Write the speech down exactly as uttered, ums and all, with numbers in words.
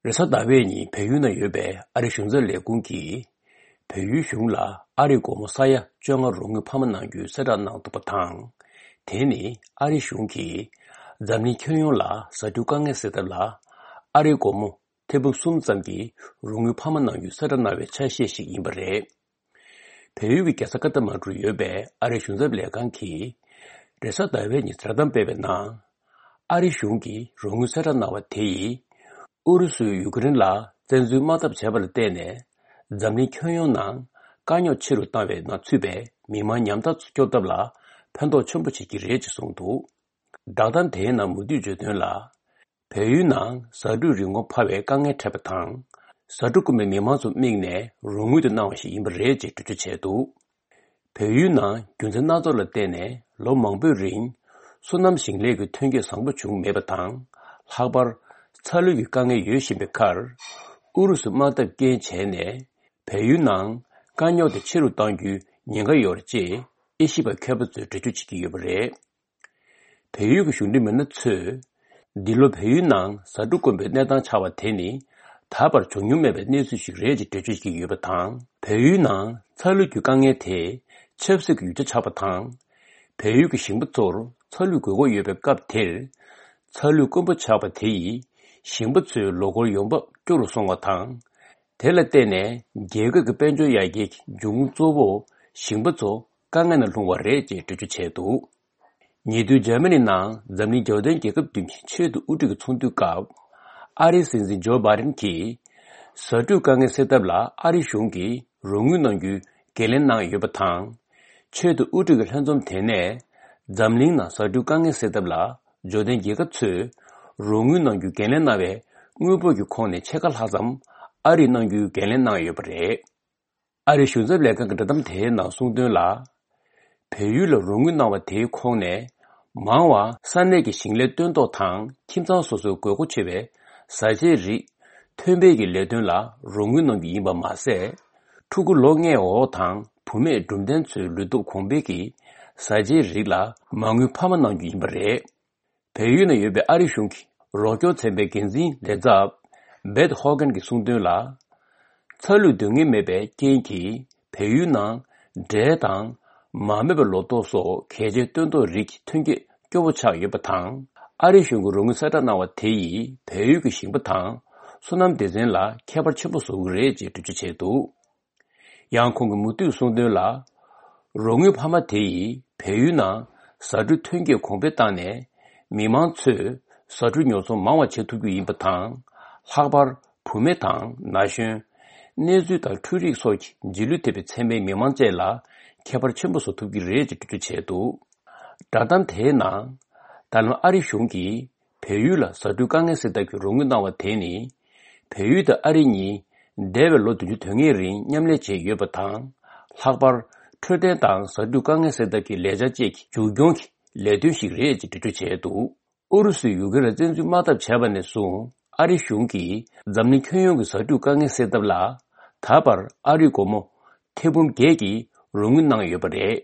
Resa daweni peyuna yobe ari shungza le gungki peyu shungla ari gomo saya jonga rungu pamanangyu sada nang tupatang teni ari shungki zamni kyonyongla sadukange sedala ari gomo tebu sumzamgi rungu pamanangyu sada nawe chasheshik imbare peyu ki kesakata madru yobe ari shungza le gangki resa daweni tradam bebe na ari shungki rungu sada nawa teyi 우르수 유그린라 전주 마답 제발 때네 잠니 kyonyonan kanyo chiru tawe na tsube miman nyamta tsukyodabla 편도 첨부 지기를 송도 다단 대나 무디 주된라 배유난 서류 링고 파웨 강에 탑탕 서두금의 미만수 밍네 롱우드 나오시 임브레지 주주체도 배유난 균전나돌 때네 로망부린 소남싱레 그 튕게 상부 중 매바탕 하버 철류 강의 유시베칼 우르스 마다 게체네 배유난 간요의 치료 당규 년가 열지 이십의 캡부터 주주치기 요브레 배유가 흉리면은 츠 딜로 배유난 사두권베 내당 차와 테니 다발 종류맵에 내수식 레지 주주치기 요바탕 배유난 철류 강의 대 첩색 유저 차바탕 배유가 신부토로 철류 그거 예배값 될 철류 건부 차바 대이 신부츠 로고 용법 쪼로 송어탕 될 때네 개그 그 변조 이야기 중조보 신부조 강간을 동화레지 주주체도 니도 제민이나 잠니 조던 계급 등치 체도 우리가 총두가 아리신진 조바린키 서두 강에 세답라 아리숑기 롱윤능규 겔렌나 요바탕 체도 우리가 현좀 되네 잠링나 서두 강에 세답라 조던 계급츠 롱윤능규 겔렌나베 응보규 콘에 책을 하잠 아리능규 겔렌나 요브레 아리숑즈 레가 그다음 대나 송들라 배율로 롱윤나와 대콩네 마와 산내기 싱레 뜬도탕 팀장소소 고고체베 사제리 퇴배기 레든라 롱윤능기 이바마세 투구 롱에 오탕 부메 dumden츠 르도 공백이 사제리라 망유 파만능기 임브레 배율의 예배 아리숑키 로교 쳔베긴지 레잡 베드 호건기 송들라 철루 등의 맵에 게인기 배율나 대당 마메벨 로토소 계제 뜬도 리키 튕게 교부차 예바탕 아리숑구 롱사다 나와 대이 배유기 신부탕 소남 대전라 케벌 첨부소 그레지 주주체도 양콩구 무뚜 송들라 롱유 파마 대이 배유나 사주 튕게 공배단에 미만츠 사주 녀소 마와 제투기 임바탕 하발 부메탕 나신 내주다 투릭 소치 진루테베 쳔메 미만제라 개발 첨부소 두기 레지 주체도 다단 대나 단 아리숑기 배유라 서두강에서 대교 롱나와 대니 배유의 아리니 데벨로 두주 등에린 냠레제 여바탕 학발 트레당 서두강에서 대기 레자제 주경기 레드식 레지 주체도 오르스 유거를 전주 마답 제반에서 아리숑기 잠니 kyonyong 서두강에서 대라 다발 아리고모 태분 계기 롱은낭 여버레